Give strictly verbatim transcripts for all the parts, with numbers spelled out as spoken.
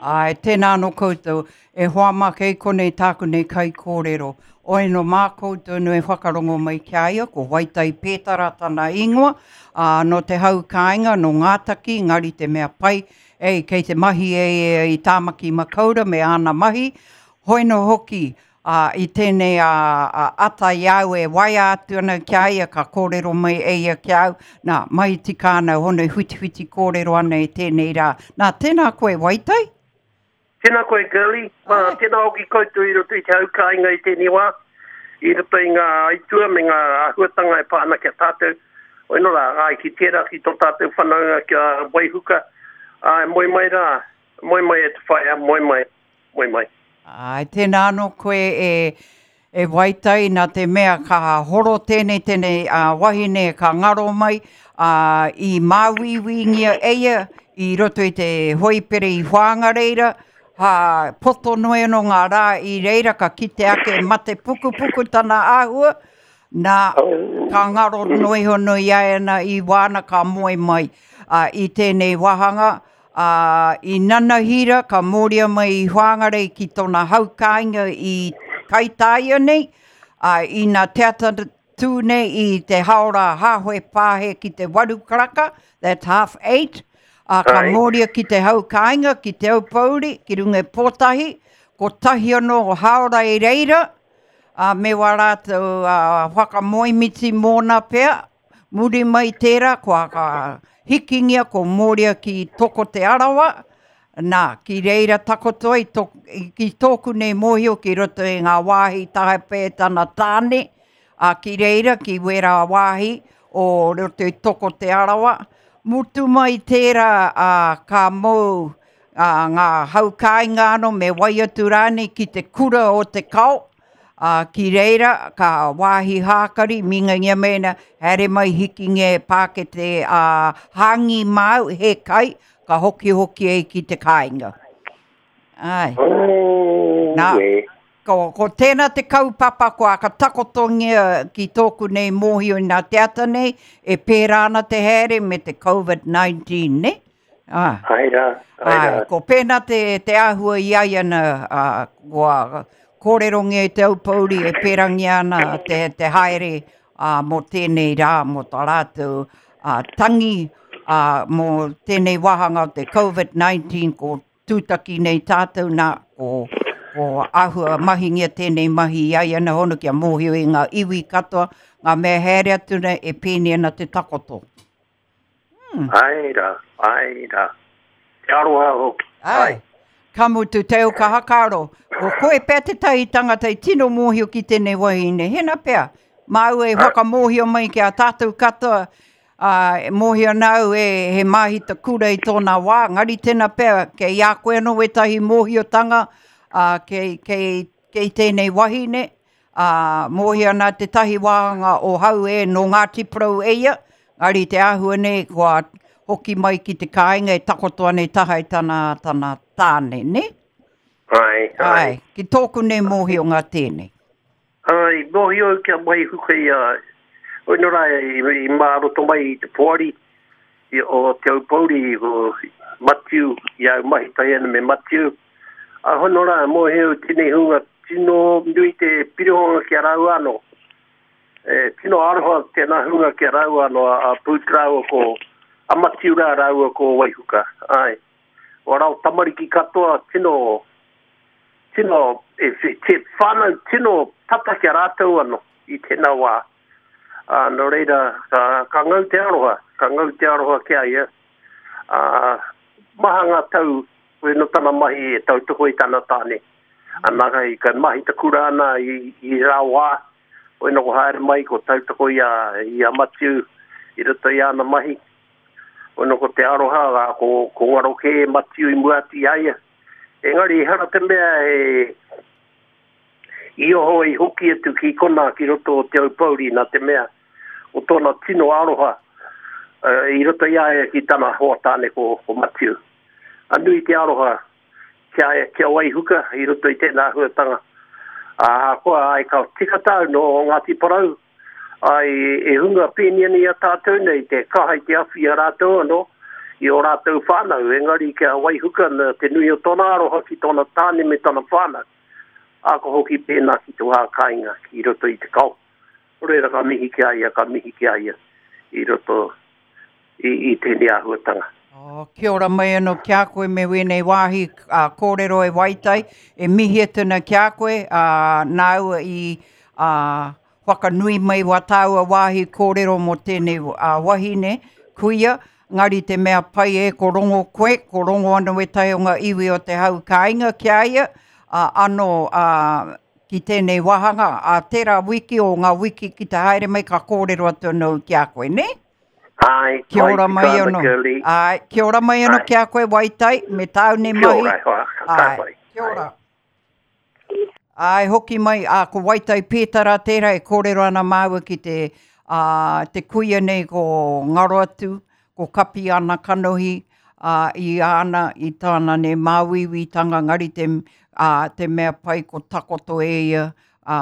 Āe, tēnā anō koutou, e hoa mā kei konei tāku nei kaikōrero. Oi no mā koutou no e whakarongo mai ki a ia, ko Waitai Pētara tana ingoa, ā, nō te hau kāinga, nō Ngātaki, engari te mea pai, ei, kei te mahi e ia i Tāmaki Makaura me āna mahi, hoi nō hoki, ā, i tēnei ā, ā, ata i a au e waea atu ana ki a ia, ka kōrero mai e ia ki a au, nā, mahi tika ana, hono e whitiwhiti kōrero ana i tēnei rā. Nā, tēnā koe Waitai? Tēnā koe Girlie, uh, tēnā hoki koutou i roto i te hau kāinga i tēnei wā, i roto i ngā aitua me ngā āhuatanga e pā ana ki a tātou. Oi nō rā, ai ki tērā ki tō tātou whanaunga ki a Waihuka, ai, moe mai rā, moe mai e te whaea, moe mai, moe mai. Ai, tēnā anō koe e, e Waitai, nā te mea ka horo tēnei tēnei uh, wahine ka ngaro mai, uh, i māuiuingia e ia i roto i te hoipere i Whangareira, ha, poto noe anō ngā rā i reira ka kite ake mate pukupuku tana āhua, nā ka ngaro noe hono i a ana i wāna ka moe mai uh, i tēnei wāhanga. Uh, i Nanahira ka mōria mai i Whangarei ki tōna hau kāinga i Kaitāia nei, uh, i nā te ata tū nei i te haora hāhoe pāhe ki te waru karaka, that's half eight, uh, ka Ai. mōria ki te hau kāinga, ki te Aupouri, ki runga i Pōtahi, ko tahi anō haora i reira, uh, me wā rātou uh, whakamoemiti mōna pea, muri mai tērā, kua ka hikingia ko mōria ki Toko Te Arawa, nā, ki reira takoto ai, to, ki tōku nei mōhio ki roto i ngā wāhi tahape tana tāne, a ki reira, ki wērā wāhi o roto i Toko Te Arawa. Mutu mai tērā a, ka mou a, ngā hau kāinga anō me wai atu rānei ki te kura o te kao, a, ki reira ka wāhi hākari, mingangia mēnā, haere mai hikingia e pākete a, hāngi māu, he kai, ka hoki hoki ai ki te kāinga. Ai. Oh, Nā. e. Ko, ko tēnā te kaupapa kua ka takotongia ki tōku nei mōhio i nā te ata nei, e pērā ana te haere me te COVID nineteen, ne? Ah. Ai rā, ai Ai, rā. ko pēnā te, te āhua i ai ana, uh, kua kōrerongia i te Aupouri e pērangia ana te, te haere uh, mō tēnei rā, mō tā rātou uh, tangi, uh, mō tēnei wāhanga o te COVID nineteen, ko tūtaki nei tātou nā, ko, ko āhua mahingia tēnei mahi i ai ana hono kia mōhio i ngā iwi katoa, ngā mea haere atu nei e pēni ana te takoto. Hmm. Ai rā, ai rā. Te aroha hoki. Ai. Ka mutu te au ka hakaro. Ko koe pea te tahi tangata i tino mōhio ki tēnei wahine. Hena pea, māu e whakamōhio mai ki a tātou katoa, ā, e mōhio nāu e he māhita kura i tōna wā, ngari tēnā pea, kei a koe anō wētahi mōhiotanga, ā, kei, kei, kei tēnei wahine, ā, mōhio nā te tahi wāhanga o hau e nō Ngāti Porou e ia, ngari te āhua nei kua hoki mai ki te kāinga e takoto ana i taha i tana, tana tāne, ne? Ai, ai. Ai, ki tōku nei mōhio ngā tēnei. Ai, mōhio au kia Waihuka i a, oi nō rā, i, i māroto mai i te poari, i, o Te Aupouri, o Matiu, i au mahi tahi ana me Matiu. A hono rā, mōhio au tēnei hunga tino nui te pirihonga ki a rāua anō. E, tino aroha tēnā hunga ki a rāua anō, a, a Pūt rāua ko, a Matiu rā rāua ko Waihuka. Ai, o rau tamariki katoa, tino, tino, e, te whānau tino tata ki a rātou anō i tēnā wā. Ā, nō reira, ka, ka ngau te aroha, ka ngau te aroha ki a ia. Ā, maha ngā tau, koe no tana mahi e tautoko i tana tāne. Ana, kai, ka mahi ta kura ana i, i rā wā, koe no ko haere mai, ko tautoko i a, i a Matiu, i roto i ana mahi. Koe no ko te aroha, ā, ko, ko ngaro kē Matiu i mua atu i a ia. Engari, ehara te mea e i oho i hoki atu ki kona ki roto o Te Aupouri nā te mea o tōna tino aroha uh, i roto i a ia ki tana hoa tāne ko, ko Matiu. A nui te aroha kia, kia Waihuka i roto i tēnā āhuatanga. Ā, koa ai ka tika tāu no Ngāti Porou, ai e hunga pēni ana i a tātou nei, te kaha i te awhi a rātou anō, i o rātou whānau, engari kia waihuka na te nui o tōna aroha ki tōna tāne me tōna whānau. A ko hoki pēnā ki tō hā kāinga ki roto i te kao. Reira ka mihi ki a ia, ka mihi ki a ia i roto i, i tēnei āhuatanga. Oh, kia ora mai anō ki a koe me wēnei wāhi uh, kōrero e Waitai, e mihi atu ana ki a koe, uh, nāua i uh, whakanui mai wā tāua wāhi kōrero mō tēnei uh, wahine, kuia, ngari te mea pai e ko rongo koe, ko rongo anō wētahi o ngā iwi o te hau kāinga ki a ia, uh, anō uh, ki tēnei wāhanga, a tērā wiki o ngā wiki ki te haere mai ka kōrero atu anō ki a koe, ne? Ai, Kia ora mai anō. Ai, kia ora mai anō ki a koe Waitai, me tāu nei Kia mahi. ora, hoa, ka Ai, pai. kia ora. Ai, hoki mai, a, ko Waitai Pētara tērā e kōrero ana māua ki te, a, te kuia nei ko ngaro atu, ko kapi ana kanohi, a, i ana, i tāna nei māuiuitanga ngari te, a, te mea pai ko takoto e ia, a,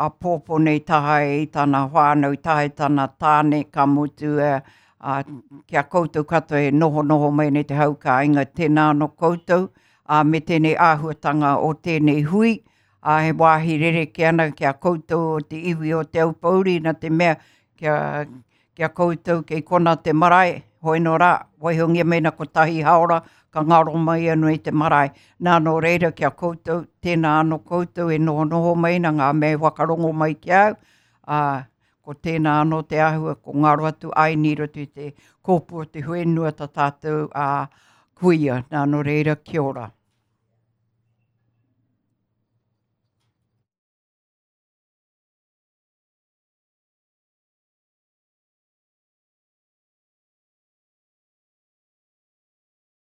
a pōpō nei tahae i tana whānau, tahae tana tāne, ka mutu, e, a, kia koutou katoa e noho noho mai nei te hau kāinga, tēnā anō koutou, a, me tēnei āhuatanga o tēnei hui, a, he wāhi rereke ana kia koutou o te iwi o Te Aupōuri, nā te mea kia, kia koutou kei kona te marae, hoi nō rā, waihongia mena kotahi haora, ka ngaro mai anō i te marae. Nā nō reira kia koutou, tēnā anō koutou e noho noho mai na ngā mea whakarongo mai ki au, a, ko tēnā anō te āhua, ko ngaro atu ai ni roto i te kōpū o te whenua tā tātou a, kuia. Nā nō reira, kia ora.